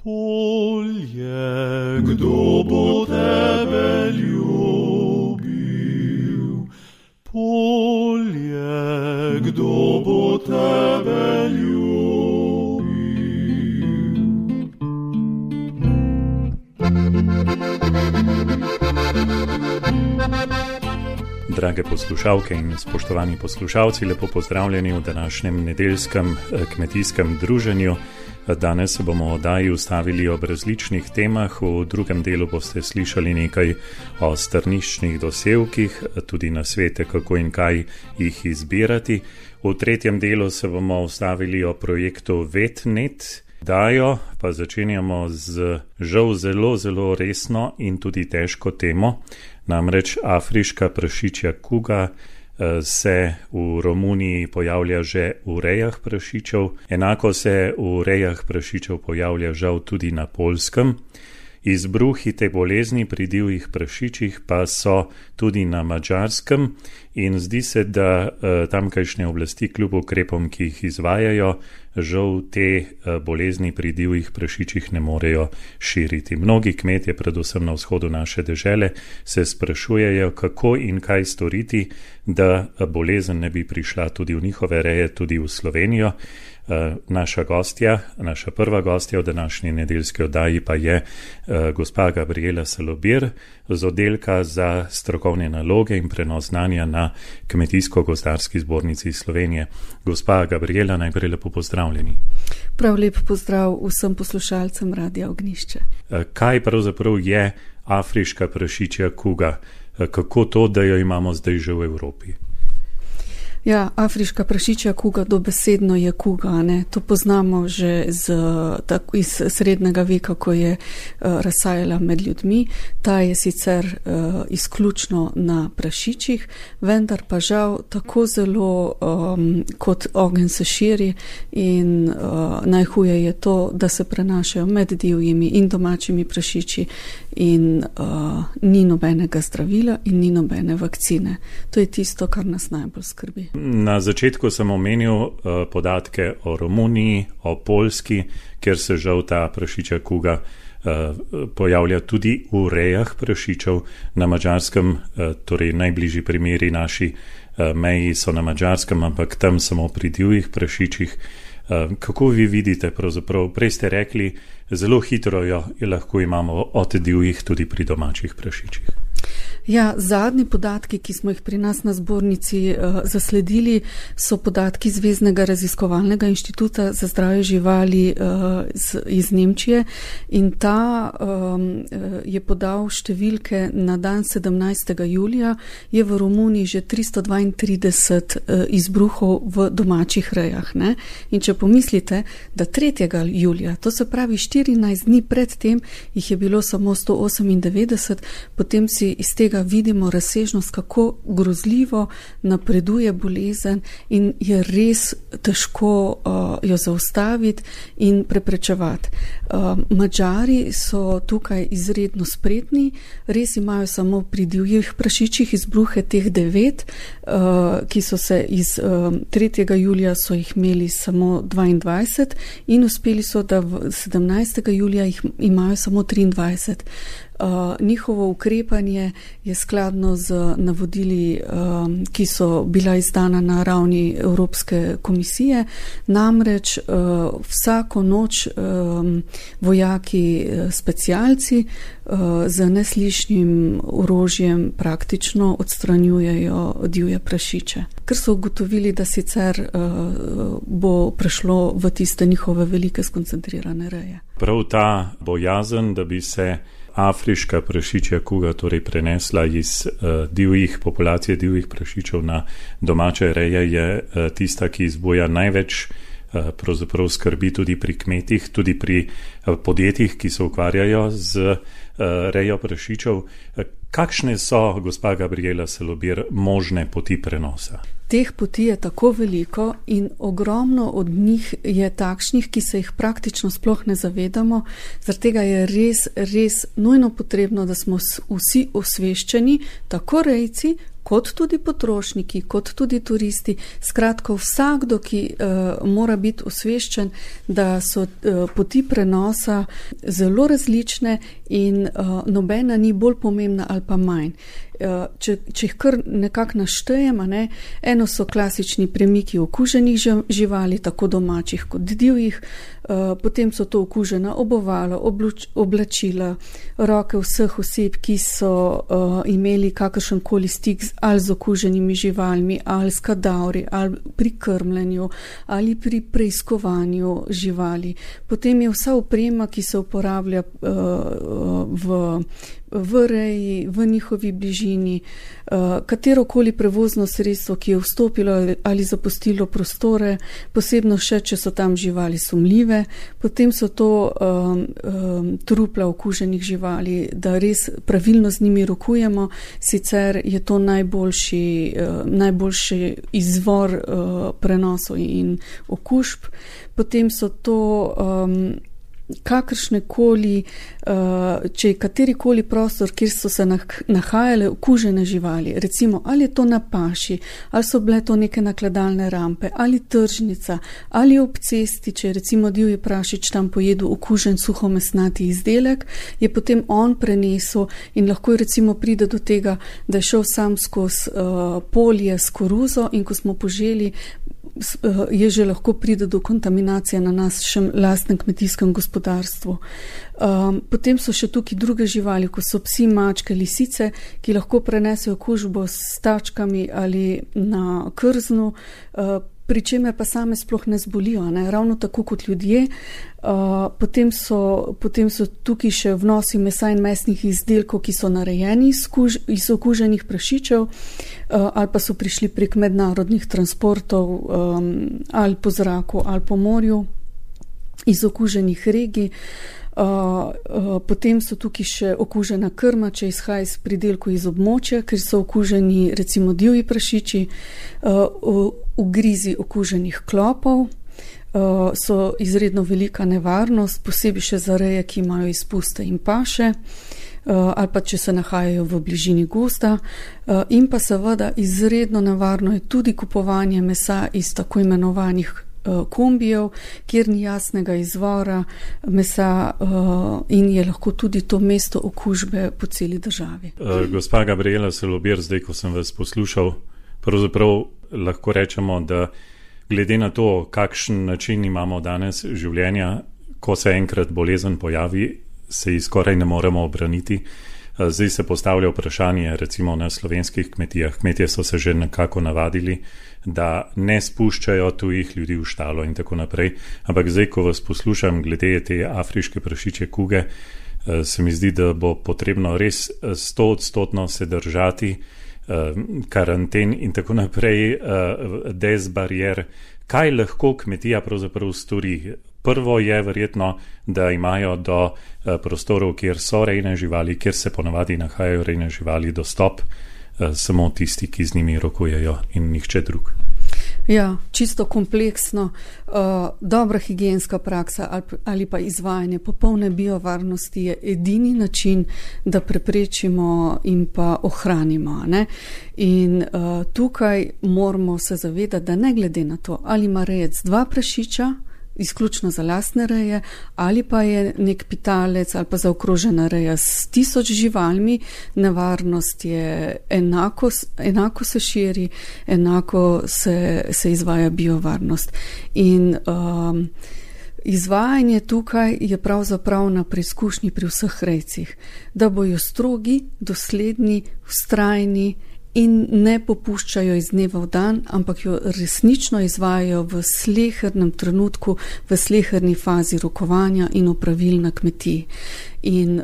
Polje, kdo bo tebe ljubil? Polje, kdo bo tebe ljubil? Drage poslušalke in spoštovani poslušalci, lepo pozdravljeni v današnjem nedeljskem kmetijskem druženju. Danes se bomo v oddaji ustavili ob različnih temah. V drugem delu boste slišali nekaj o strniščnih dosevkih, tudi nasvete, kako in kaj jih izbirati. V tretjem delu se bomo ustavili o projektu VetNet. Dajo pa začenjamo z žal zelo resno in tudi težko temo. Namreč afriška prašičja kuga se v Romuniji pojavlja že v rejah prašičev, enako se v rejah prašičev pojavlja žal tudi na Poljskem. Izbruhi te bolezni pri divjih prašičih pa so tudi na Madžarskem in zdi se, da tamkajšnje oblasti kljub ukrepom, ki jih izvajajo, žal te bolezni pri divjih prašičih ne morejo širiti. Mnogi kmetje, predvsem na vzhodu naše dežele, se sprašujejo, kako in kaj storiti, da bolezen ne bi prišla tudi v njihove reje, tudi v Slovenijo. Naša prva gostja v današnji nedeljski oddaji pa je gospa Gabriela Salobir z oddelka za strokovne naloge in prenos znanja na Kmetijsko-gozdarski zbornici Slovenije. Gospa Gabriela, najprej lepo pozdravljeni. Prav lep pozdrav vsem poslušalcem Radia Ognjišče. Kaj pravzaprav je afriška prašičja kuga? Kako to, da jo imamo zdaj že v Evropi? Ja, afriška prašičja kuga dobesedno je kuga, ne? To poznamo že iz srednjega veka, ko je razsajala med ljudmi. Ta je sicer izključno na prašičih, vendar pa žal tako zelo kot ogenj se širi in najhuje je to, da se prenašajo med divjimi in domačimi prašiči in ni nobenega zdravila in ni nobene vakcine. To je tisto, kar nas najbolj skrbi. Na začetku sem omenil podatke o Romuniji, o Poljski, kjer se žal ta prašičja kuga pojavlja tudi v rejah prašičev. Na Madžarskem, torej najbližji primeri naši meji so na Madžarskem, ampak tam samo pri divjih prašičih. Kako vi vidite pravzaprav? Prej ste rekli, zelo hitro jo lahko imamo od divjih tudi pri domačih prašičih. Ja, zadnji podatki, ki smo jih pri nas na zbornici zasledili, so podatki Zveznega raziskovalnega inštituta za zdravje živali iz Nemčije in ta je podal številke na dan 17. julija, je v Romuniji že 332 izbruhov v domačih rejah. Ne? In če pomislite, da 3. julija, to se pravi 14 dni pred tem, jih je bilo samo 198, potem si iz tega vidimo razsežnost, kako grozljivo napreduje bolezen in je res težko jo zaustaviti in preprečevati. Madžari so tukaj izredno spretni, res imajo samo pri divjih prašičih izbruhe teh 9, ki so se iz 3. julija so jih imeli samo 22 in uspeli so, da v 17. julija jih imajo samo 23. Njihovo ukrepanje je skladno z navodili, ki so bila izdana na ravni Evropske komisije. Namreč vsako noč vojaki specialci z neslišnim orožjem praktično odstranjujejo divje prašiče. Ker so ugotovili, da sicer bo prešlo v tiste njihove velike skoncentrirane reje. Prav ta bojazen, da bi se afriška prašičja kuga torej prenesla iz populacije divjih prašičev na domače reje, je tista, ki izbuja največ pravzaprav skrbi tudi pri kmetih, tudi pri podjetjih, ki se ukvarjajo z rejo prašičev. Kakšne so, gospa Gabriela Salobir, možne poti prenosa? Teh poti je tako veliko in ogromno od njih je takšnih, ki se jih praktično sploh ne zavedamo. Zaradi tega je res nujno potrebno, da smo vsi osveščeni, tako rejci kot tudi potrošniki, kot tudi turisti, skratka vsakdo, ki mora biti osveščen, da so poti prenosa zelo različne in nobena ni bolj pomembna ali pa manj. Če jih kar nekako naštejem, eno so klasični premiki okuženih živali, tako domačih kot divjih, potem so to okužena obovala, oblačila, roke vseh oseb, ki so imeli kakršenkoli stik ali z okuženimi živalmi, ali s kadavri, ali pri krmljenju, ali pri preiskovanju živali. Potem je vsa oprema, ki se uporablja v reji, v njihovi bližini, katerokoli prevozno sredstvo, ki je vstopilo ali zapustilo prostore, posebno še, če so tam živali sumljive, potem so to trupla okuženih živali, da res pravilno z njimi rokujemo, sicer je to najboljši izvor prenosov in okužb. Potem so to kakršnekoli, če je katerikoli prostor, kjer so se nahajale okužene živali, recimo ali je to na paši, ali so bile to neke nakladalne rampe, ali tržnica, ali ob cesti, če je recimo divji prašič tam pojedel okužen suhomesnati izdelek, je potem on prenesel in lahko recimo pride do tega, da je šel sam skozi polje s koruzo in ko smo poželi, je že lahko pride do kontaminacije na našem lastnem kmetijskem gospodarstvu. Potem so še tukaj druge živali, ko so psi, mačke, lisice, ki lahko prenesejo okužbo s tačkami ali na krznu, pri čemer pa same sploh ne zbolijo, ravno tako kot ljudje. Potem so tukaj še vnosi mesa in mesnih izdelkov, ki so narejeni iz okuženih prašičev ali pa so prišli prek mednarodnih transportov ali po zraku ali po morju iz okuženih regij. Potem so tukaj še okužena krma, če izhaja iz pridelkov iz območja, ker so okuženi recimo divji prašiči, ugrizi okuženih klopov, so izredno velika nevarnost, posebej še za reje, ki imajo izpuste in paše, ali pa če se nahajajo v bližini gozda, in pa seveda izredno nevarno je tudi kupovanje mesa iz tako imenovanih kombijev, kjer ni jasnega izvora mesa in je lahko tudi to mesto okužbe po celi državi. Gospa Gabriela Selobir, zdaj, ko sem vas poslušal, pravzaprav lahko rečemo, da glede na to, kakšen način imamo danes življenja, ko se enkrat bolezen pojavi, se ji skoraj ne moremo obraniti. Zdaj se postavlja vprašanje, recimo na slovenskih kmetijah. Kmetije so se že nekako navadili, da ne spuščajo tujih ljudi v štalo in tako naprej. Ampak zdaj, ko vas poslušam glede te afriške prašičje kuge, se mi zdi, da bo potrebno res 100% se držati karanten in tako naprej, dezbarier. Kaj lahko kmetija pravzaprav stori? Prvo je verjetno, da imajo do prostorov, kjer so rejne živali, kjer se ponavadi nahajajo rejne živali, dostop samo tisti, ki z njimi rokujejo in nihče drug. Ja, čisto kompleksno. Dobra higienska praksa ali pa izvajanje popolne biovarnosti je edini način, da preprečimo in pa ohranimo. In tukaj moramo se zavedati, da ne glede na to, ali ima rejec 2 prašiča, izključno za lastne reje, ali pa je nek pitalec ali pa zaokrožena reja s 1000 živalmi, nevarnost je enako se širi, enako se izvaja biovarnost. In izvajanje tukaj je pravzaprav na preizkušnji pri vseh rejcih, da bojo strogi, dosledni, vztrajni in ne popuščajo iz dneva v dan, ampak jo resnično izvajajo v slehernem trenutku, v sleherni fazi rokovanja in opravil na kmetiji. In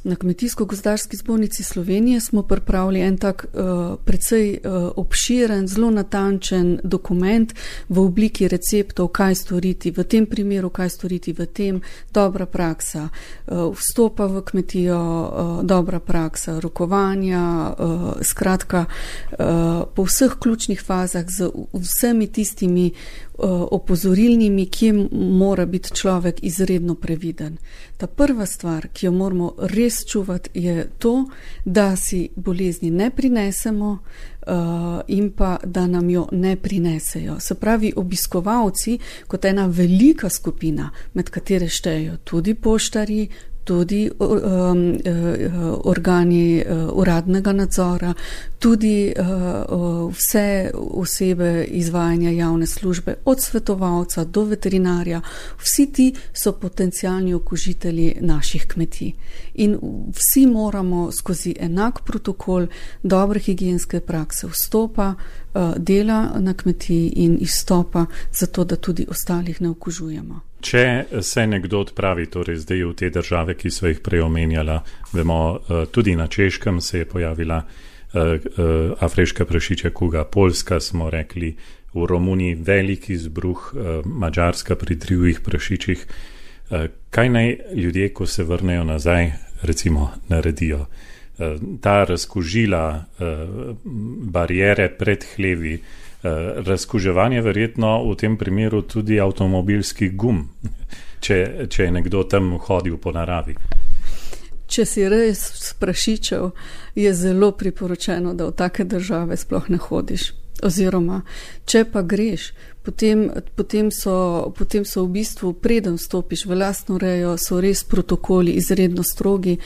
na Kmetijsko-gozdarski zbornici Slovenije smo pripravili en tak precej obširen, zelo natančen dokument v obliki receptov, kaj storiti v tem primeru, kaj storiti v tem, dobra praksa vstopa v kmetijo, dobra praksa rokovanja, skratka po vseh ključnih fazah z vsemi tistimi opozorilnimi, kje mora biti človek izredno previden. Ta prva stvar, ki jo moramo res čuvati, je to, da si bolezni ne prinesemo in pa, da nam jo ne prinesejo. Se pravi, obiskovalci kot ena velika skupina, med katere štejejo tudi poštarji, tudi organi uradnega nadzora, tudi vse osebe izvajanja javne službe, od svetovalca do veterinarja, vsi ti so potencialni okužitelji naših kmetij. In vsi moramo skozi enak protokol dobre higienske prakse vstopa, dela na kmetiji in izstopa, zato da tudi ostalih ne okužujemo. Če se nekdo odpravi, torej zdaj v te države, ki so jih prej omenjala, vemo, tudi na Češkem se je pojavila afriška prašičja kuga, Poljska smo rekli, v Romuniji velik izbruh, Madžarska pri drugih prašičih. Kaj naj ljudje, ko se vrnejo nazaj, recimo naredijo? Ta razkužila, barijere pred hlevi, razkuževanje verjetno v tem primeru tudi avtomobilskih gum, če je nekdo tam hodil po naravi. Če si res prašičev, je zelo priporočeno, da v take države sploh ne hodiš. Oziroma, če pa greš, potem so v bistvu, preden vstopiš v lastno rejo, so res protokoli izredno strogi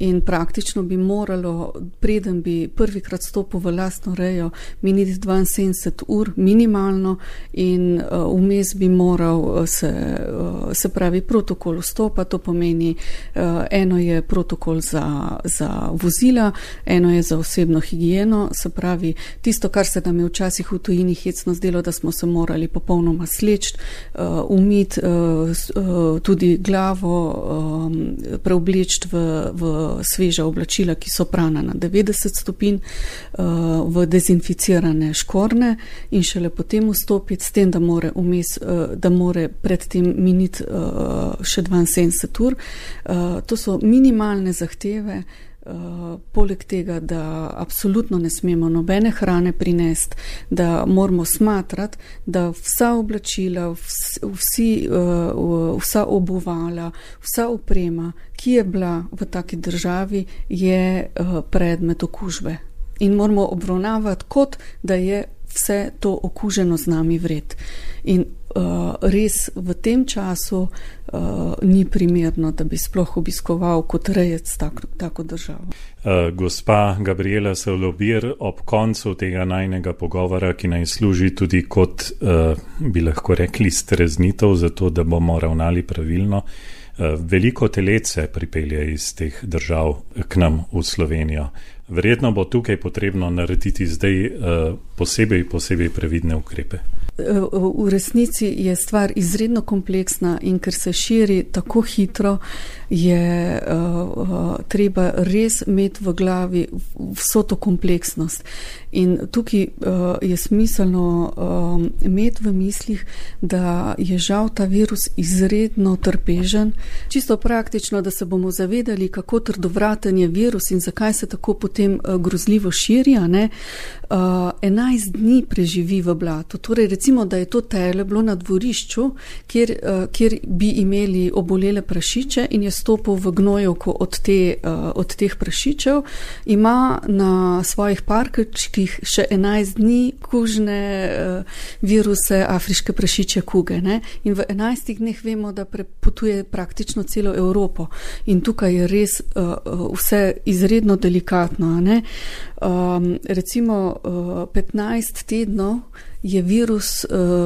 in praktično bi moralo, preden bi prvikrat stopil v lastno rejo, miniti 72 ur minimalno in vmes bi moral se pravi protokol vstopa, to pomeni eno je protokol za vozila, eno je za osebno higieno, se pravi tisto, kar se nam je včasih v tujini hecno zdelo, da smo se morali popolnoma sleči, umiti tudi glavo, preobleči v sveža oblačila, ki so prana na 90 stopinj, v dezinficirane škorne in šele potem vstopiti, s tem, da more predtem miniti še 72 ur. To so minimalne zahteve. Poleg tega, da absolutno ne smemo nobene hrane prinesti, da moramo smatrati, da vsa oblačila, vsa obuvala, vsa oprema, ki je bila v taki državi, je predmet okužbe. In moramo obravnavati kot, da je vse to okuženo z nami vred. In res v tem času ni primerno, da bi sploh obiskoval kot rejec tako državo. Gospa Gabriela Solovir, ob koncu tega najnega pogovora, ki naj služi tudi kot, bi lahko rekli, streznitev, zato da bomo ravnali pravilno, veliko telec se pripelje iz teh držav k nam v Slovenijo. Verjetno bo tukaj potrebno narediti zdaj posebej previdne ukrepe. V resnici je stvar izredno kompleksna in ker se širi tako hitro, je treba res imeti v glavi vso to kompleksnost. In tukaj je smiselno imeti v mislih, da je žal ta virus izredno trpežen. Čisto praktično, da se bomo zavedali, kako trdovraten je virus in zakaj se tako potem grozljivo širi. 11 dni preživi v blatu. Torej recimo, da je to tele bilo na dvorišču, kjer bi imeli obolele prašiče in je stopil v gnojevko od teh prašičev, ima na svojih parkečkih še 11 dni kužne viruse afriške prašičje kuge. Ne? In v 11 dneh vemo, da prepotuje praktično celo Evropo. In tukaj je res vse izredno delikatno. Ne? Recimo 15 tednov je virus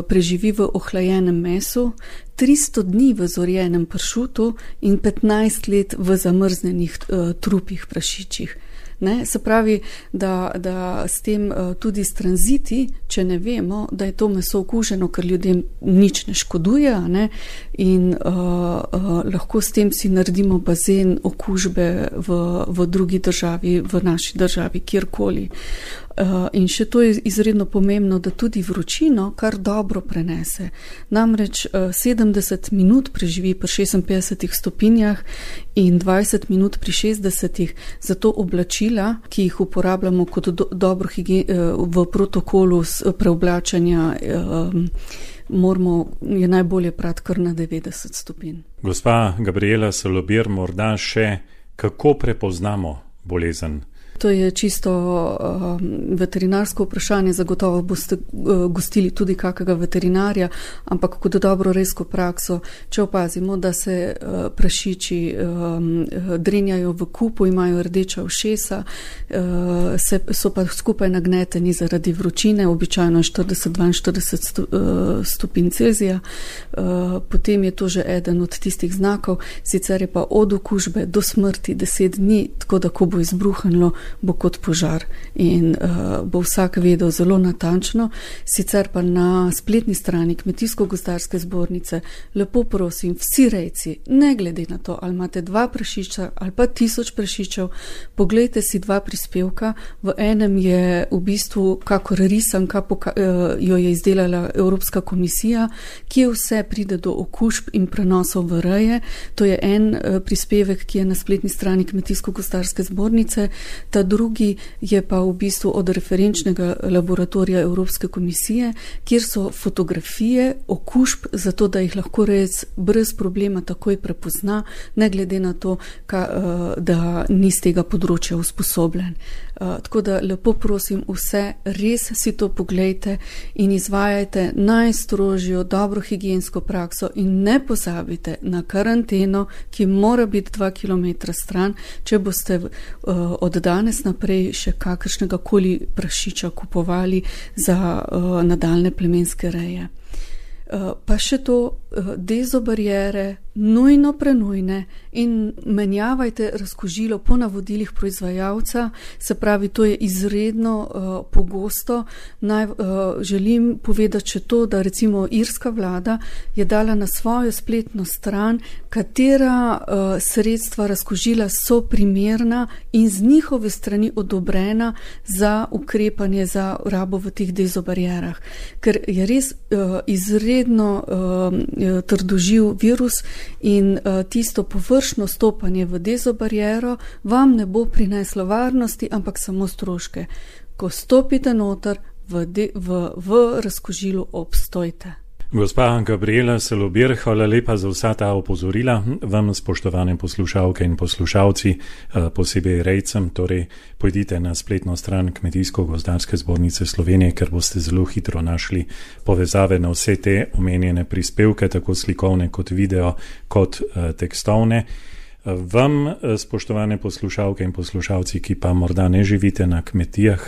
preživi v ohlajenem mesu, 300 dni v zorjenem pršutu in 15 let v zamrznenih trupih prašičjih. Ne? Se pravi, da s tem tudi s tranziti, če ne vemo, da je to meso okuženo, ker ljudem nič ne škoduje, ne? In lahko s tem si naredimo bazen okužbe v drugi državi, v naši državi, kjerkoli. In še to je izredno pomembno, da tudi vročino kar dobro prenese. Namreč 70 minut preživi pri 56 stopinjah in 20 minut pri 60. Zato oblačila, ki jih uporabljamo kot dobro v protokolu preoblačanja je najbolje prati kar na 90 stopinj. Gospa Gabriela Salobir, morda še kako prepoznamo bolezen? To je čisto veterinarsko vprašanje, zagotovo boste gostili tudi kakega veterinarja, ampak kot dobro redsko prakso, če opazimo, da se prašiči drenjajo v kupu, imajo rdeča ušesa, so pa skupaj nagneteni zaradi vročine, običajno 40-42 stopinj Celzija, potem je to že eden od tistih znakov, sicer je pa od okužbe do smrti 10 dni, tako da ko bo izbruhnilo, bo kot požar in bo vsak vedel zelo natančno. Sicer pa na spletni strani Kmetijsko-gozdarske zbornice lepo prosim, vsi rejci, ne glede na to, ali imate 2 prašiča ali pa 1000 prašičev, poglejte si 2 prispevka. V enem je v bistvu kakor risanka, jo je izdelala Evropska komisija, kje vse pride do okužb in prenosov v reje. To je en prispevek, ki je na spletni strani Kmetijsko-gozdarske zbornice. Ta drugi je pa v bistvu od referenčnega laboratorija Evropske komisije, kjer so fotografije okužb, zato da jih lahko rejec brez problema takoj prepozna, ne glede na to, da ni z tega področja usposobljen. Tako da lepo prosim vse, res si to poglejte in izvajajte najstrožjo dobro higiensko prakso in ne pozabite na karanteno, ki mora biti 2 km stran, če boste od danes naprej še kakršnega koli prašiča kupovali za nadaljne plemenske reje. Pa še to, dezobariere, nujno prenujne in menjavajte razkužilo po navodilih proizvajalca, se pravi, to je izredno pogosto. Želim povedati še to, da recimo irska vlada je dala na svojo spletno stran, katera sredstva razkužila so primerna in z njihove strani odobrena za ukrepanje za rabo v teh dezobarierah, ker je res izredno trdoživ virus in tisto površno stopanje v dezobariero vam ne bo prineslo varnosti, ampak samo stroške. Ko stopite noter, v razkužilu obstojte. Gospa Gabriela Salobir, hvala lepa za vsa ta opozorila. Vam, spoštovane poslušalke in poslušalci, posebej rejcem, torej pojdite na spletno stran Kmetijsko-gozdarske zbornice Slovenije, ker boste zelo hitro našli povezave na vse te omenjene prispevke, tako slikovne kot video, kot tekstovne. Vam, spoštovane poslušalke in poslušalci, ki pa morda ne živite na kmetijah,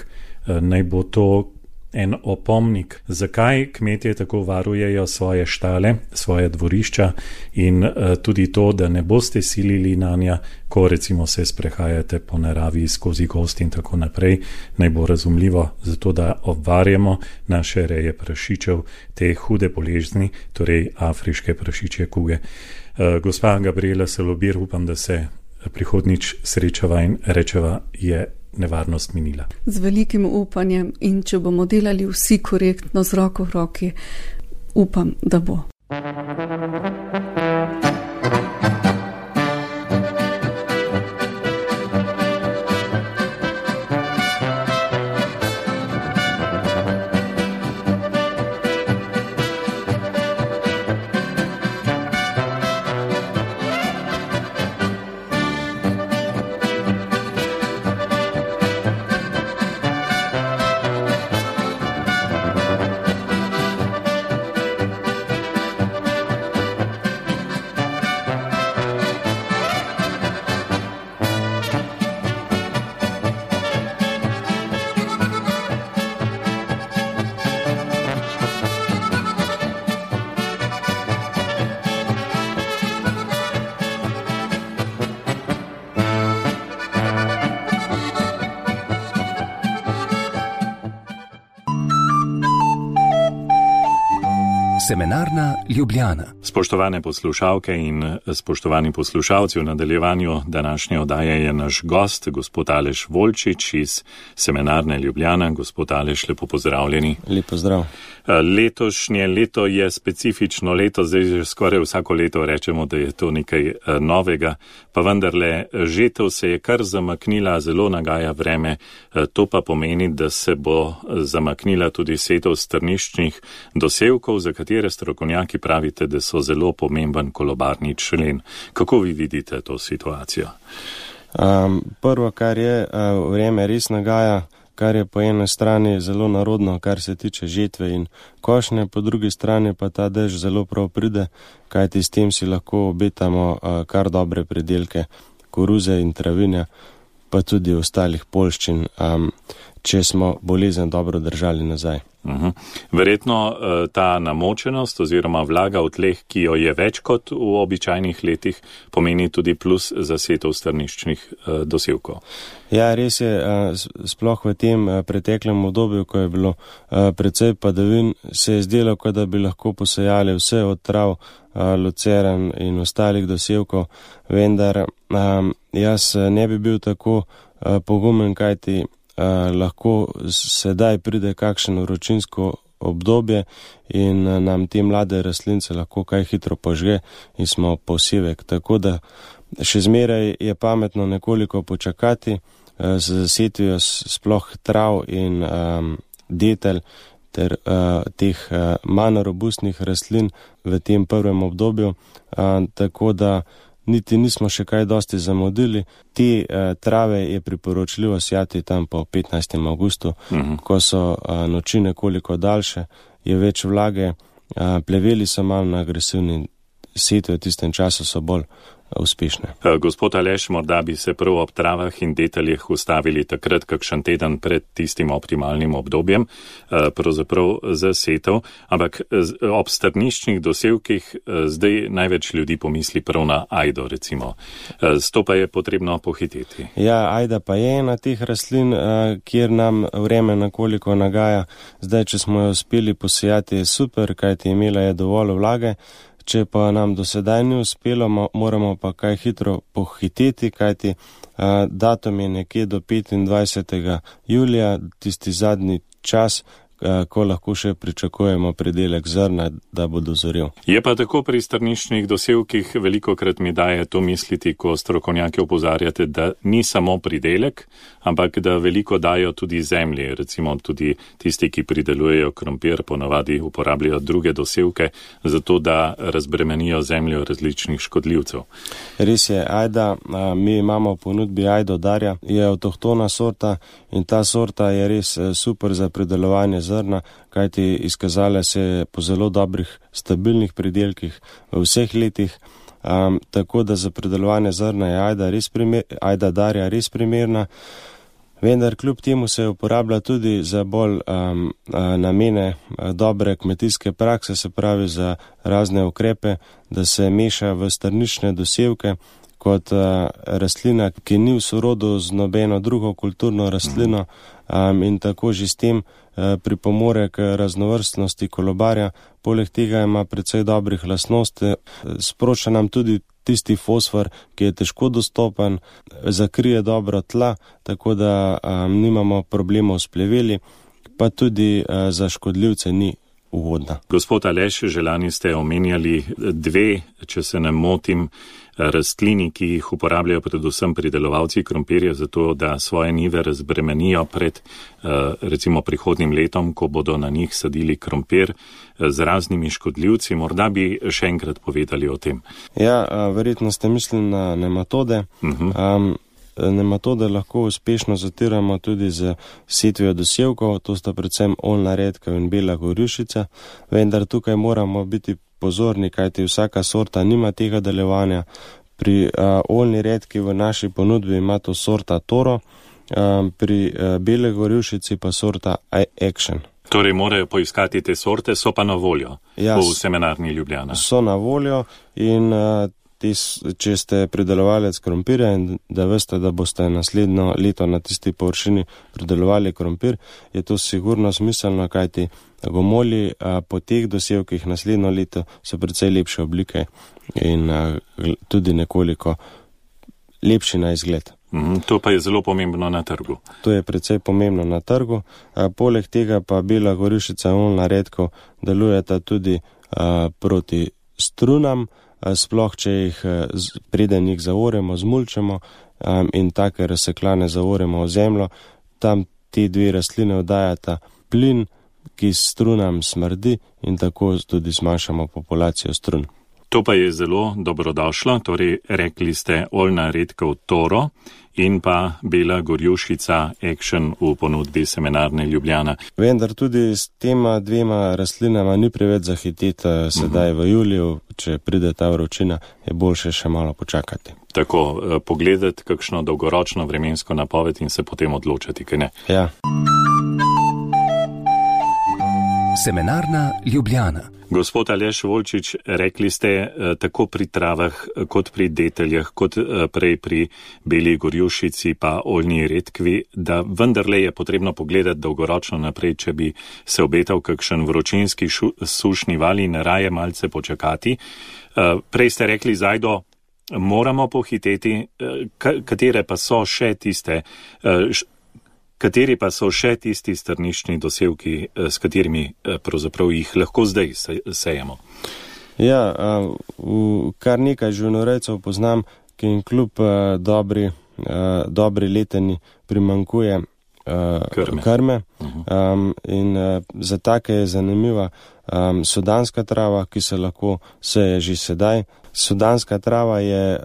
naj bo to en opomnik, zakaj kmetje tako varujejo svoje štale, svoje dvorišča in tudi to, da ne boste silili nanja, ko recimo se sprehajate po naravi skozi gozd in tako naprej, naj bo razumljivo, zato da obvarjamo naše reje prašičev te hude bolezni, torej afriške prašičje kuge. Gospa Gabriela Salobir, upam, da se prihodnič srečava in rečeva, je nevarnost minila. Z velikim upanjem in če bomo delali vsi korektno z roko v roki, upam, da bo. Semenarna Ljubljana. Spoštovane poslušalke in spoštovani poslušalci, v nadaljevanju današnje oddaje je naš gost, gospod Aleš Volčič iz Semenarne Ljubljana. Gospod Aleš, lepo pozdravljeni. Lep pozdrav. Letošnje leto je specifično leto, zdaj že skoraj vsako leto rečemo, da je to nekaj novega, pa vendarle žetev se je kar zamaknila, zelo nagaja vreme, to pa pomeni, da se bo zamaknila tudi setev strniščnih dosevkov, za katere nekatere strokovnjaki pravite, da so zelo pomemben kolobarni člen. Kako vi vidite to situacijo? Prvo, kar je, vreme res nagaja, kar je po eni strani zelo narodno, kar se tiče žetve in košnje, po drugi strani pa ta dež zelo prav pride, kajti s tem si lahko obetamo kar dobre pridelke koruze in travinja, pa tudi ostalih poljščin, če smo bolezen dobro držali nazaj. Verjetno ta namočenost oziroma vlaga v tleh, ki jo je več kot v običajnih letih, pomeni tudi plus za setov strniščnih dosevkov. Ja, res je, sploh v tem preteklem obdobju, ko je bilo precej padavin, se je zdelo, kot da bi lahko posejali vse od trav, lucern in ostalih dosevkov, vendar jaz ne bi bil tako pogumen, kajti lahko sedaj pride kakšno vročinsko obdobje in nam te mlade rastlince lahko kaj hitro požge in smo posevek. Tako da še zmeraj je pametno nekoliko počakati z setvijo sploh trav in detelj ter teh manj robustnih rastlin v tem prvem obdobju, tako da niti nismo še kaj dosti zamudili. Te trave je priporočljivo sjati tam po 15. augustu, ko so noči nekoliko daljše, je več vlage, pleveli so manj agresivni, setve v tistem času so bolj uspešne. Gospod Aleš, morda bi se prav ob travah in deteljih ustavili takrat kakšen teden pred tistim optimalnim obdobjem, pravzaprav za setev, ampak ob strniščnih dosevkih zdaj največ ljudi pomisli prav na ajdo, recimo. S to pa je potrebno pohiteti. Ja, ajda pa je ena teh rastlin, kjer nam vreme nekoliko nagaja. Zdaj, če smo jo uspeli posejati, je super, kajti imela je dovolj vlage. Če pa nam do sedaj ni uspelo, moramo pa kaj hitro pohiteti, kajti datum je nekje do 25. julija, tisti zadnji čas, ko lahko še pričakujemo pridelek zrna, da bo dozorel. Je pa tako pri strniščnih dosevkih, velikokrat mi daje to misliti, ko strokovnjaki opozarjate, da ni samo pridelek, ampak da veliko dajo tudi zemlji. Recimo tudi tisti, ki pridelujejo krompir, ponavadi uporabljajo druge dosevke, zato da razbremenijo zemljo različnih škodljivcev. Res je, ajda, mi imamo v ponudbi ajdo darja, je avtohtona sorta in ta sorta je res super za pridelovanje zrna, kajti izkazala se je po zelo dobrih, stabilnih pridelkih v vseh letih, tako da za pridelovanje zrna je ajda darja res primerna, vendar kljub temu se uporablja tudi za bolj namene dobre kmetijske prakse, se pravi za razne ukrepe, da se meša v strniščne dosevke kot rastlina, ki ni v sorodu z nobeno drugo kulturno rastlino in tako že s tem pripomore k raznovrstnosti kolobarja. Poleg tega ima precej dobrih lastnosti, sprošča nam tudi tisti fosfor, ki je težko dostopen, zakrije dobro tla, tako da nimamo problemov s pleveli, pa tudi za škodljivce ni ugodna. Gospod Aleš, že lani ste omenjali dve, če se ne motim, rastlini, ki jih uporabljajo predvsem pridelovalci krompirja, zato da svoje njive razbremenijo pred recimo prihodnim letom, ko bodo na njih sadili krompir z raznimi škodljivci. Morda bi še enkrat povedali o tem. Ja, verjetno ste mislili na nematode. Nematode lahko uspešno zatiramo tudi z setvijo dosevkov, to sta predvsem oljna redkev in bela gorjušica, vendar tukaj moramo biti pozorni, kajti vsaka sorta nima tega delovanja. Pri oljni redki v naši ponudbi ima to sorta Toro, pri bele gorjušici pa sorta Action. Torej morajo poiskati te sorte, so pa na voljo v Semenarni Ljubljana. So na voljo in če ste pridelovalec krompirja in da veste, da boste naslednjo leto na tisti površini pridelovali krompir, je to sigurno smiselno, kajti gomolji po teh dosevkih naslednjo leto so precej lepše oblike in tudi nekoliko lepši na izgled. To pa je zelo pomembno na trgu. To je precej pomembno na trgu. Poleg tega pa bela gorjušica in oljna redkev delujeta tudi proti strunam, sploh če jih preden jih zaoremo, zmulčemo in take razseklane zaoremo v zemljo. Tam te dve rastline oddajata plin, ki strunam smrdi in tako tudi zmanjšamo populacijo strun. To pa je zelo dobrodošlo, torej rekli ste oljna redkev Toro in pa bela gorjušica Action v ponudbi Semenarne Ljubljana. Vendar tudi s tema dvema rastlinama ni preveč zahiteti sedaj v juliju, če pride ta vročina, je boljše še malo počakati. Tako, pogledati kakšno dolgoročno vremensko napoved in se potem odločati, kaj ne? Ja. Semenarna Ljubljana. Gospod Aleš Volčič, rekli ste tako pri travah, kot pri deteljah, kot prej pri beli gorjušici pa oljni redkvi, da vendarle je potrebno pogledati dolgoročno naprej, če bi se obetal kakšen vročinski sušni val in raje malce počakati. Prej ste rekli, Zajdo, moramo pohiteti, katere pa so še tiste... Kateri pa so še tisti strniščni dosevki, s katerimi pravzaprav jih lahko zdaj sejemo? Ja, kar nekaj živinorejcev poznam, ki jim kljub dobri leteni primanjkuje krme. In za take je zanimiva sudanska trava, ki se lahko seje že sedaj. Sudanska trava je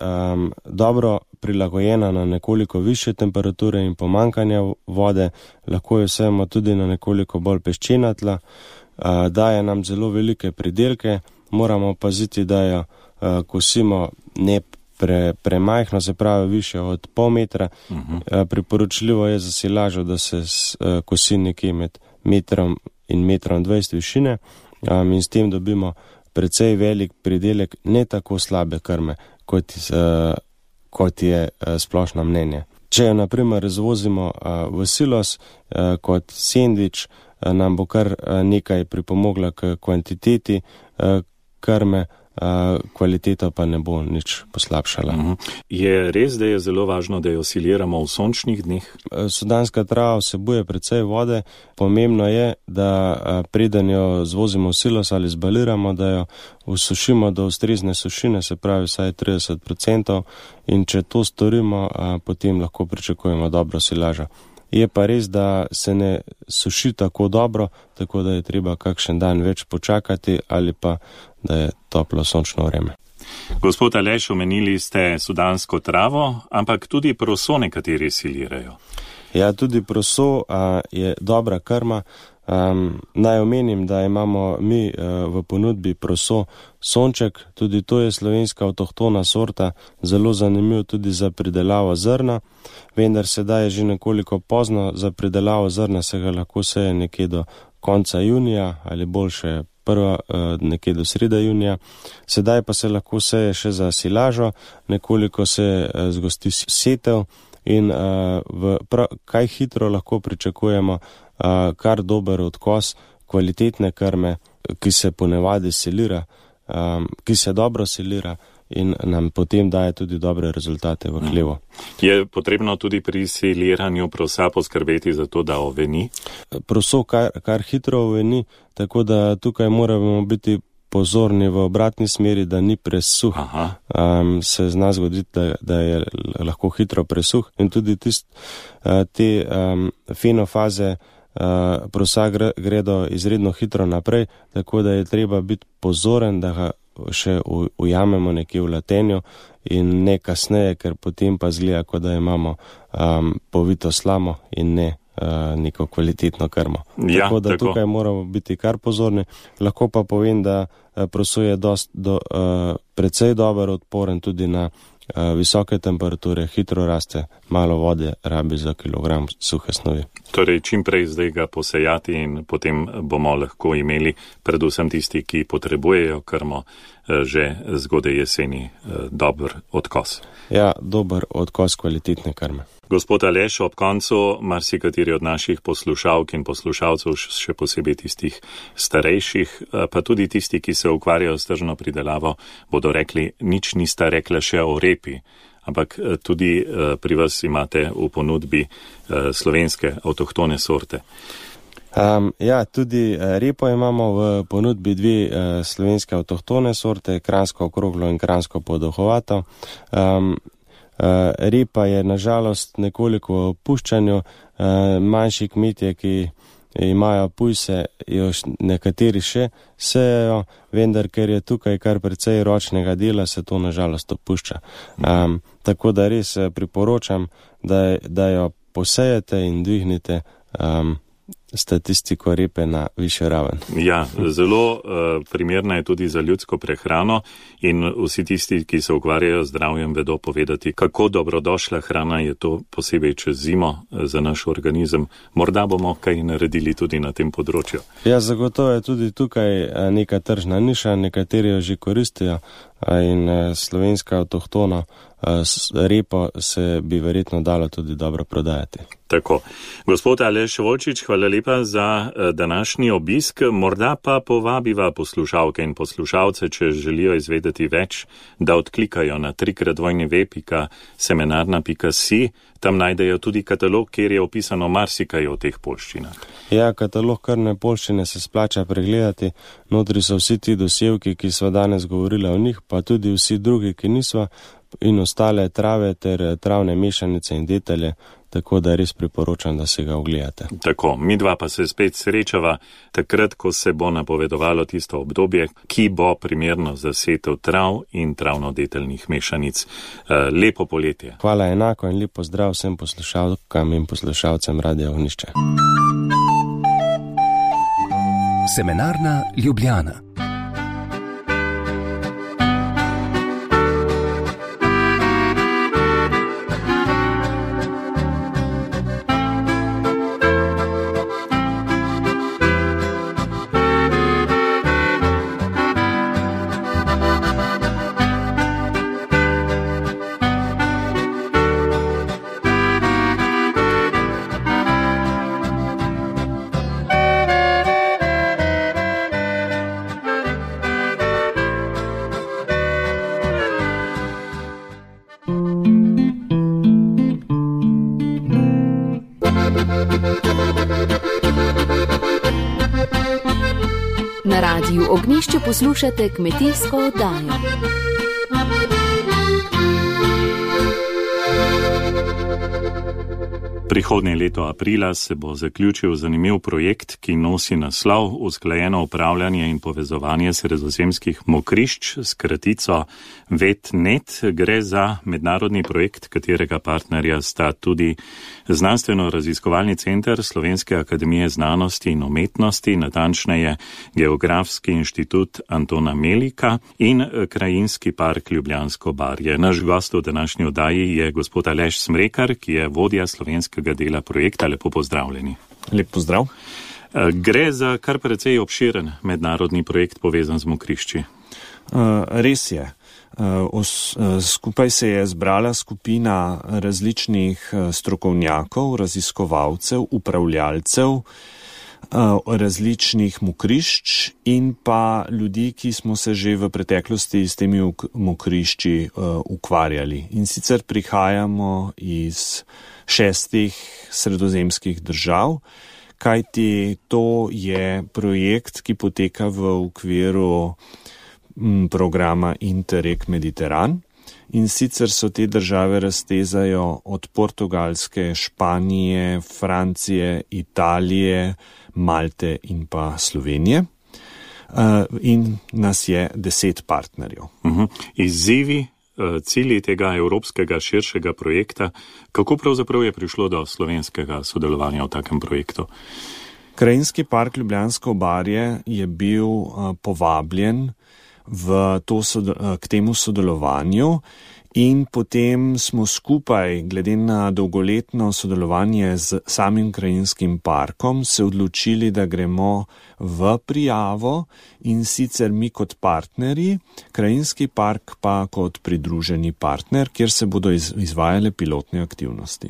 dobro prilagojena na nekoliko više temperature in pomankanja vode, lahko jo sejemo tudi na nekoliko bolj peščena tla, daje nam zelo velike pridelke, moramo paziti, da jo kosimo ne premajhno, se pravi više od pol metra. Priporočljivo je za silažo, da se kosi nekje med metrom in 1,20 m višine in s tem dobimo precej velik pridelek, ne tako slabe krme, kot je splošno mnenje. Če jo naprimer razvozimo v silos kot sendvič, nam bo kar nekaj pripomogla k kvantiteti krme, kvaliteta pa ne bo nič poslabšala. Je res, da je zelo važno, da jo siliramo v sončnih dneh? Sudanska trava vsebuje precej vode. Pomembno je, da preden jo zvozimo v silos ali zbaliramo, da jo usušimo do ustrezne sušine, se pravi vsaj 30%, in če to storimo, potem lahko pričakujemo dobro silažo. Je pa res, da se ne suši tako dobro, tako da je treba kakšen dan več počakati ali pa da je toplo sončno vreme. Gospod Aleš, omenili ste sudansko travo, ampak tudi proso nekateri silirajo. Ja, tudi proso je dobra krma. Naj omenim, da imamo mi v ponudbi proso sonček, tudi to je slovenska avtohtona sorta, zelo zanimiv tudi za pridelavo zrna, vendar sedaj je že nekoliko pozno za pridelavo zrna, se ga lahko seje nekje do konca junija ali boljše nekje do sreda junija. Sedaj pa se lahko seje še za silažo, nekoliko se zgosti setev in kaj hitro lahko pričakujemo kar dober odkos kvalitetne krme, ki se ponavadi silira, ki se dobro silira in nam potem daje tudi dobre rezultate v hlevu. Je potrebno tudi pri siliranju prosa poskrbeti za to, da oveni? Proso kar hitro oveni, tako da tukaj moramo biti pozorni v obratni smeri, da ni presuh. Se zna zgoditi, da je lahko hitro presuh in tudi te fenofaze prosa gredo izredno hitro naprej, tako da je treba biti pozoren, da ga še ujamemo nekje v latenju in ne kasneje, ker potem pa zgleda, kot da imamo povito slamo in ne neko kvalitetno krmo. Ja, tako da tukaj moramo biti kar pozorni. Lahko pa povem, da proso je precej dober odporen tudi na visoke temperature, hitro raste, malo vode rabi za kilogram suhe snovi. Torej, čim prej zdaj ga posejati in potem bomo lahko imeli, predvsem tisti, ki potrebujejo krmo, že zgodaj jeseni dober odkos. Ja, dober odkos kvalitetne krme. Gospod Aleš, ob koncu marsikateri od naših poslušalk in poslušalcev, še posebej tistih starejših, pa tudi tisti, ki se ukvarjajo s tržno pridelavo, bodo rekli, nič nista rekla še o repi, ampak tudi pri vas imate v ponudbi slovenske avtohtone sorte. Ja, tudi repo imamo v ponudbi dve slovenske avtohtone sorte, kranjsko okroglo in kranjsko podolgovato. Repa je nažalost nekoliko v opuščanju, manjši kmetje, ki imajo pujse, jo nekateri še sejejo, vendar ker je tukaj kar precej ročnega dela, se to nažalost opušča. Tako da res priporočam, da jo posejete in dvignite statistiko repe na višjo raven. Ja, zelo primerna je tudi za ljudsko prehrano in vsi tisti, ki se ukvarjajo z zdravjem, vedo povedati, kako dobrodošla hrana je to posebej čez zimo za naš organizem. Morda bomo kaj naredili tudi na tem področju. Ja, zagotovo je tudi tukaj neka tržna niša, nekateri jo že koristijo in slovenska avtohtona repo se bi verjetno dalo tudi dobro prodajati. Tako. Gospod Aleš Volčič, hvala lepa za današnji obisk. Morda pa povabiva poslušalke in poslušalce, če želijo izvedeti več, da odklikajo na www.semenarna.si. Tam najdejo tudi katalog, kjer je opisano marsikaj o teh poljščinah. Ja, katalog krvne poljščine se splača pregledati. Notri so vsi ti dosevki, ki sva danes govorila o njih, pa tudi vsi drugi, ki nisva, in ostale trave ter travne mešanice in detelje, tako da res priporočam, da se ga ogledate. Tako, midva pa se spet srečava takrat, ko se bo napovedovalo tisto obdobje, ki bo primerno za setev trav in travno-deteljnih mešanic. Lepo poletje. Hvala enako in lepo zdrav vsem poslušalkam in poslušalcem Radia Ognjišče. Semenarna Ljubljana. Na Radiu Ognjišče poslušate kmetijsko oddajo. Prihodnje leto aprila se bo zaključil zanimiv projekt, ki nosi naslov Usklajeno upravljanje in povezovanje sredozemskih mokrišč s kratico VET-NET. Gre za mednarodni projekt, katerega partnerja sta tudi Znanstveno-raziskovalni center Slovenske akademije znanosti in umetnosti, natančneje Geografski inštitut Antona Melika in Krajinski park Ljubljansko barje. Naš gost v današnji oddaji je gospod Aleš Smrekar, ki je vodja slovenskega dela projekta. Lepo pozdravljeni. Lep pozdrav. Gre za kar precej obširen mednarodni projekt povezan z mokrišči. Res je. Skupaj se je zbrala skupina različnih strokovnjakov, raziskovalcev, upravljalcev različnih mokrišč in pa ljudi, ki smo se že v preteklosti s temi mokrišči ukvarjali. In sicer prihajamo iz 6 sredozemskih držav, kajti to je projekt, ki poteka v okviru programa Interreg Mediteran. In sicer so te države raztezajo od Portugalske, Španije, Francije, Italije, Malte in pa Slovenije. In nas je 10 partnerjev. Izzivi, cilji tega evropskega širšega projekta, kako pravzaprav je prišlo do slovenskega sodelovanja v takem projektu? Krajinski park Ljubljansko barje je bil povabljen k temu sodelovanju in potem smo skupaj, glede na dolgoletno sodelovanje z samim krajinskim parkom, se odločili, da gremo v prijavo, in sicer mi kot partnerji, krajinski park pa kot pridruženi partner, kjer se bodo izvajale pilotne aktivnosti.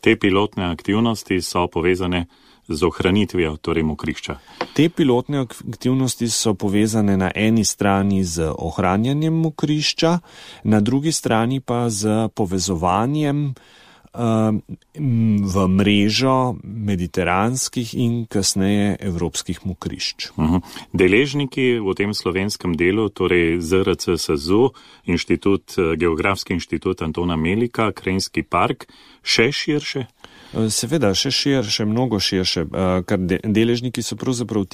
Te pilotne aktivnosti so povezane z ohranitvijo, torej mokrišča. Te pilotne aktivnosti so povezane na eni strani z ohranjanjem mokrišča, na drugi strani pa z povezovanjem v mrežo mediteranskih in kasneje evropskih mokrišč. Deležniki v tem slovenskem delu, torej ZRC SAZU, Geografski inštitut Antona Melika, Krajinski park, še širše? Seveda, še širše, mnogo širše, ker deležniki so pravzaprav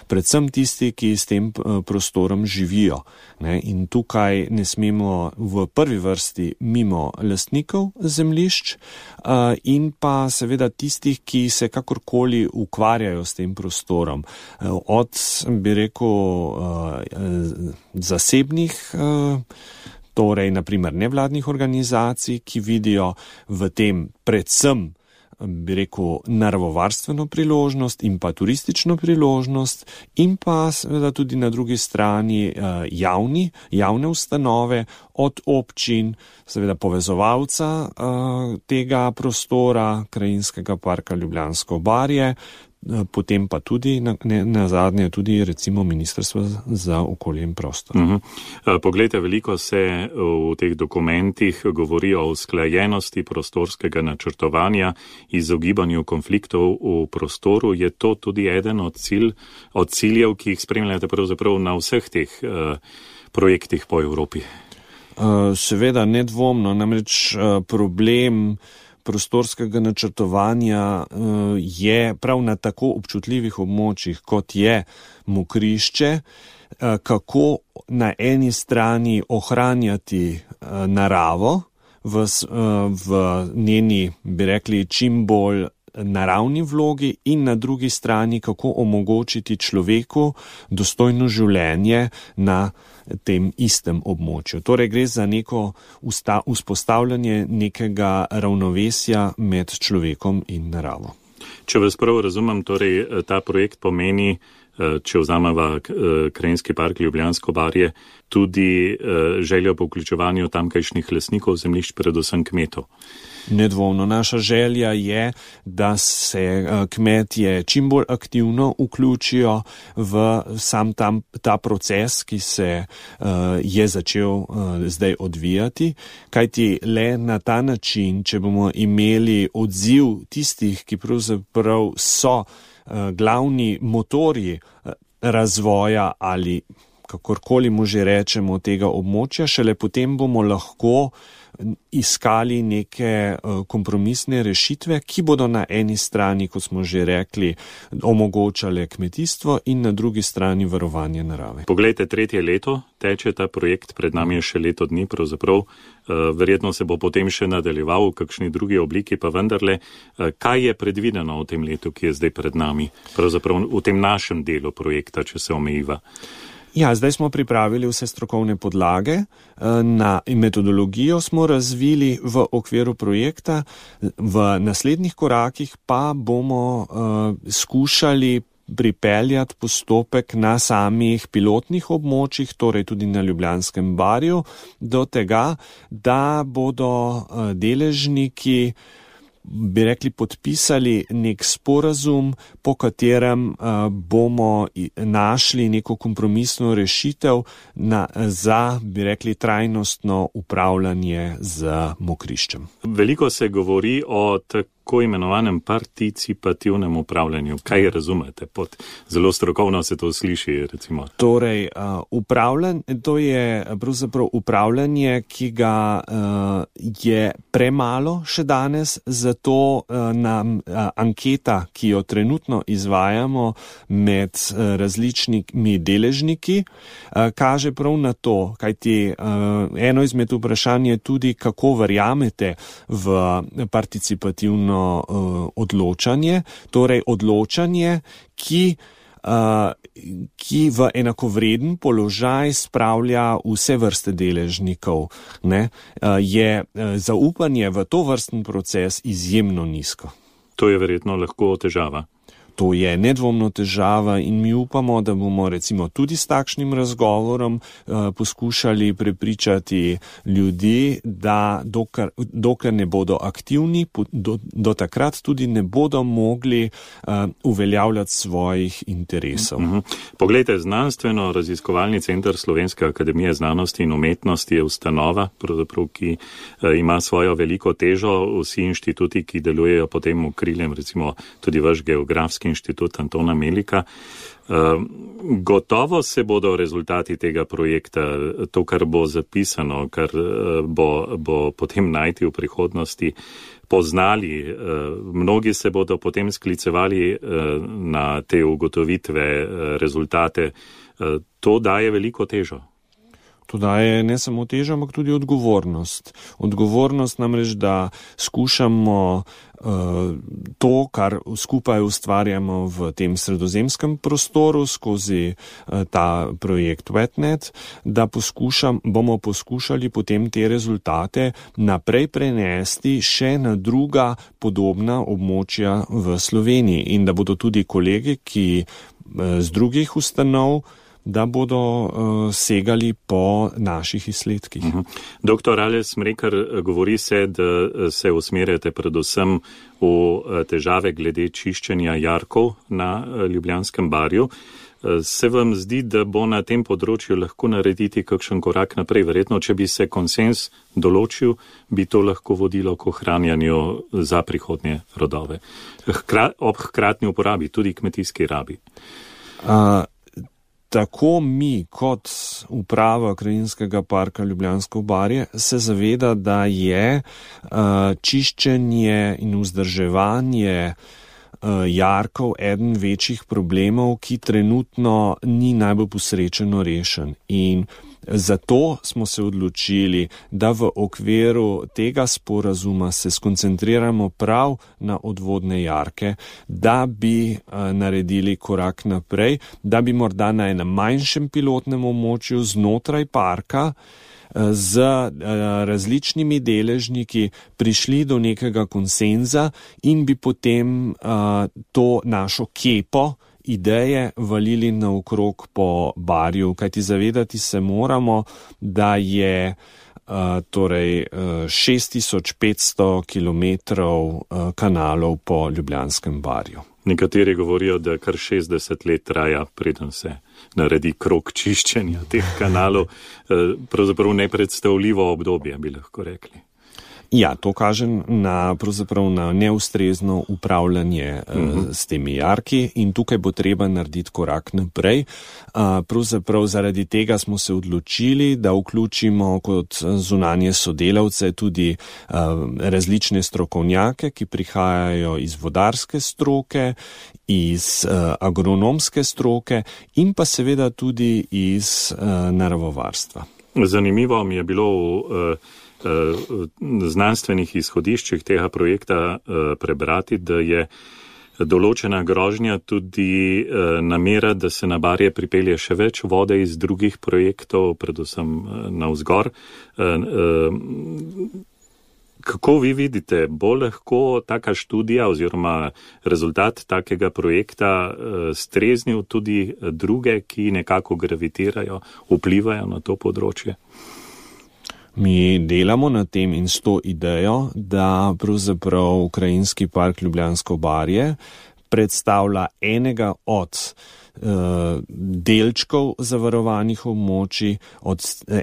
predvsem tisti, ki s tem prostorom živijo. Ne? In tukaj ne smemo v prvi vrsti mimo lastnikov zemljišč in pa seveda tistih, ki se kakorkoli ukvarjajo s tem prostorom. Od, bi rekel, zasebnih, torej naprimer nevladnih organizacij, ki vidijo v tem predvsem, bi rekel, naravovarstveno priložnost in pa turistično priložnost in pa seveda tudi na drugi strani javne ustanove od občin, seveda povezovalca tega prostora, Krajinskega parka Ljubljansko barje, potem pa tudi na zadnje tudi recimo Ministrstvo za okolje in prostor. Poglejte, veliko se v teh dokumentih govori o usklajenosti prostorskega načrtovanja, izogibanju konfliktov v prostoru. Je to tudi eden od ciljev, ki jih spremljate pravzaprav na vseh teh projektih po Evropi? Seveda, nedvomno, namreč problem prostorskega načrtovanja je prav na tako občutljivih območjih, kot je Mokrišče, kako na eni strani ohranjati naravo v njeni, bi rekli, čim bolj naravni vlogi in na drugi strani, kako omogočiti človeku dostojno življenje na tem istem območju. Torej gre za neko vzpostavljanje nekega ravnovesja med človekom in naravo. Če vas prav razumem, torej ta projekt pomeni, če vzameva Krajinski park Ljubljansko barje, tudi željo po vključevanju tamkajšnjih lastnikov zemljišč, predvsem kmetov. Nedvomno. Naša želja je, da se kmetje čim bolj aktivno vključijo v sam ta proces, ki se je začel zdaj odvijati, kajti le na ta način, če bomo imeli odziv tistih, ki pravzaprav so glavni motorji razvoja ali kakorkoli mu že rečemo tega območja, šele potem bomo lahko iskali neke kompromisne rešitve, ki bodo na eni strani, kot smo že rekli, omogočale kmetijstvo in na drugi strani varovanje narave. Poglejte, 3. leto teče ta projekt, pred nami je še leto dni, pravzaprav verjetno se bo potem še nadaljeval v kakšni drugi obliki, pa vendarle, kaj je predvideno v tem letu, ki je zdaj pred nami, pravzaprav v tem našem delu projekta, če se omejiva? Ja, zdaj smo pripravili vse strokovne podlage, in metodologijo smo razvili v okviru projekta, v naslednjih korakih pa bomo skušali pripeljati postopek na samih pilotnih območjih, torej tudi na Ljubljanskem barju, do tega, da bodo deležniki, bi rekli, podpisali nek sporazum, po katerem bomo našli neko kompromisno rešitev za, bi rekli, trajnostno upravljanje z Mokriščem. Veliko se govori o tako imenovanem participativnem upravljanju. Kaj razumete pod zelo strokovno se to sliši, recimo? Torej, to je pravzaprav upravljanje, ki ga je premalo še danes, zato nam anketa, ki jo trenutno izvajamo med različnimi deležniki, kaže prav na to, kajti eno izmed vprašanj je tudi, kako verjamete v participativno odločanje, torej odločanje, ki v enakovreden položaj spravlja vse vrste deležnikov, ne, je zaupanje v to vrsten proces izjemno nizko. To je verjetno lahko težava. To je nedvomno težava in mi upamo, da bomo recimo tudi s takšnim razgovorom poskušali prepričati ljudi, da dokler ne bodo aktivni, do takrat tudi ne bodo mogli uveljavljati svojih interesov. Poglejte, Znanstveno-raziskovalni center Slovenske akademije znanosti in umetnosti je ustanova, pravzaprav, ki ima svojo veliko težo. Vsi inštituti, ki delujejo pod tem okriljem, recimo tudi vaš Geografski Okoljski inštitut Antona Melika. Gotovo se bodo rezultati tega projekta, to, kar bo zapisano, kar bo potem najti v prihodnosti, poznali. Mnogi se bodo potem sklicevali na te ugotovitve, rezultate. To daje veliko težo. To daje ne samo težo, ampak tudi odgovornost. Odgovornost namreč, da skušamo to, kar skupaj ustvarjamo v tem sredozemskem prostoru skozi ta projekt Wetnet, da bomo poskušali potem te rezultate naprej prenesti še na druga podobna območja v Sloveniji in da bodo tudi kolegi, ki z drugih ustanov, da bodo segali po naših izsledkih. Doktor Aleš Smrekar, govori se, da se usmerjate predvsem v težave glede čiščenja jarkov na Ljubljanskem barju. Se vam zdi, da bo na tem področju lahko narediti kakšen korak naprej? Verjetno, če bi se konsens določil, bi to lahko vodilo k ohranjanju za prihodnje rodove. Ob hkratni uporabi, tudi kmetijski rabi. Tako mi kot uprava Krajinskega parka Ljubljansko barje se zaveda, da je čiščenje in vzdrževanje jarkov eden večjih problemov, ki trenutno ni najbolj posrečeno rešen. In zato smo se odločili, da v okviru tega sporazuma se skoncentriramo prav na odvodne jarke, da bi naredili korak naprej, da bi morda na enem manjšem pilotnem območju znotraj parka z različnimi deležniki prišli do nekega konsenza in bi potem to našo kepo ideje valili naokrog po barju, kajti zavedati se moramo, da je 6500 kilometrov kanalov po Ljubljanskem barju. Nekateri govorijo, da kar 60 let traja, preden se naredi krog čiščenja teh kanalov. Pravzaprav nepredstavljivo obdobje, bi lahko rekli. Ja, to kaže pravzaprav na neustrezno upravljanje s temi jarki in tukaj bo treba narediti korak naprej. Pravzaprav zaradi tega smo se odločili, da vključimo kot zunanje sodelavce tudi različne strokovnjake, ki prihajajo iz vodarske stroke, iz agronomske stroke in pa seveda tudi iz naravovarstva. Zanimivo mi je bilo v znanstvenih izhodiščih tega projekta prebrati, da je določena grožnja tudi namera, da se na barje pripelje še več vode iz drugih projektov, predvsem navzgor. Kako vi vidite, bo lahko taka študija oziroma rezultat takega projekta streznil tudi druge, ki nekako gravitirajo, vplivajo na to področje? Mi delamo na tem in s to idejo, da pravzaprav Krajinski park Ljubljansko barje predstavlja enega od delčkov zavarovanih območij,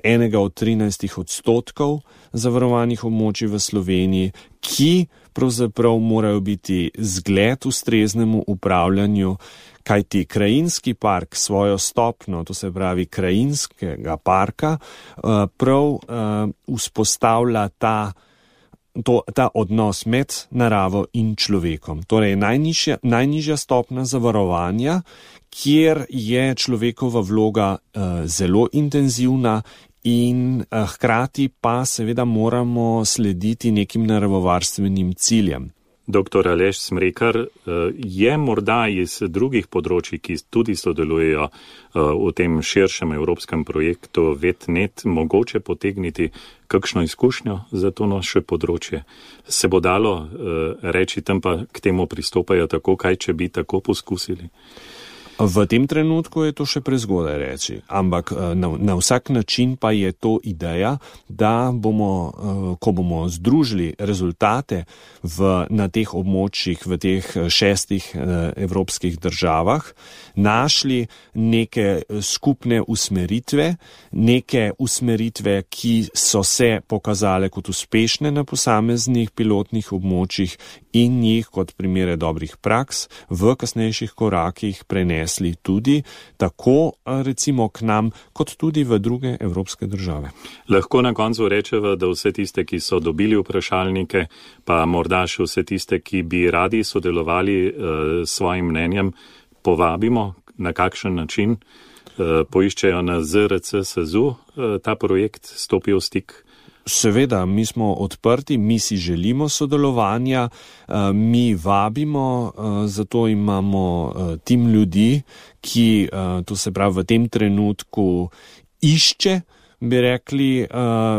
enega od 13% zavarovanih območij v Sloveniji, ki pravzaprav morajo biti zgled ustreznemu upravljanju, kajti Krajinski park svojo stopnjo, to se pravi Krajinskega parka, prav vzpostavlja ta odnos med naravo in človekom. Torej najnižja stopnja zavarovanja, kjer je človekova vloga zelo intenzivna in hkrati pa seveda moramo slediti nekim naravovarstvenim ciljem. Dr. Aleš Smrekar, je morda iz drugih področji, ki tudi sodelujejo v tem širšem evropskem projektu Wetnet, mogoče potegniti kakšno izkušnjo za to naše področje? Se bo dalo reči, tam pa k temu pristopajo tako, kaj če bi tako poskusili? V tem trenutku je to še prezgodaj reči, ampak na vsak način pa je to ideja, da bomo, ko bomo združili rezultate na teh območjih, v teh 6 evropskih državah, našli neke skupne usmeritve, ki so se pokazale kot uspešne na posameznih pilotnih območjih in jih kot primere dobrih praks v kasnejših korakih prenesli tudi tako recimo k nam, kot tudi v druge evropske države. Lahko na koncu rečeva, da vse tiste, ki so dobili vprašalnike, pa morda še vse tiste, ki bi radi sodelovali s svojim mnenjem, povabimo, na kakšen način poiščejo na ZRC SAZU ta projekt, stopijo v stik. Seveda, mi smo odprti, mi si želimo sodelovanja, mi vabimo, zato imamo tim ljudi, ki, to se pravi, v tem trenutku išče, bi rekli,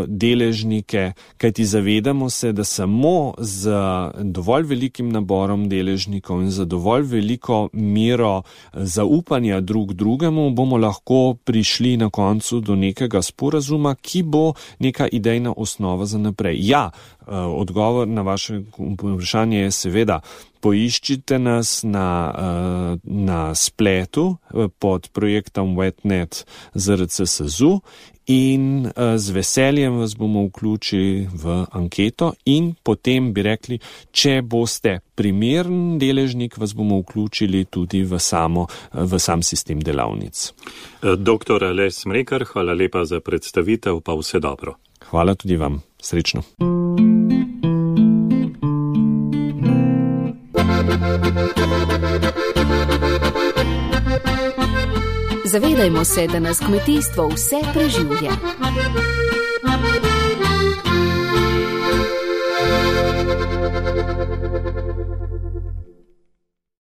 deležnike, kajti zavedamo se, da samo z dovolj velikim naborom deležnikov in za dovolj veliko mero zaupanja drug drugemu bomo lahko prišli na koncu do nekega sporazuma, ki bo neka idejna osnova za naprej. Ja, odgovor na vaše vprašanje je seveda, poiščite nas na spletu pod projektom WetNet ZRC SAZU in z veseljem vas bomo vključili v anketo in potem bi rekli, če boste primeren deležnik, vas bomo vključili tudi v sam sistem delavnic. Dr. Aleš Smrekar, hvala lepa za predstavitev, pa vse dobro. Hvala tudi vam. Srečno. Zavedajmo se, da nas kmetijstvo vse preživlja.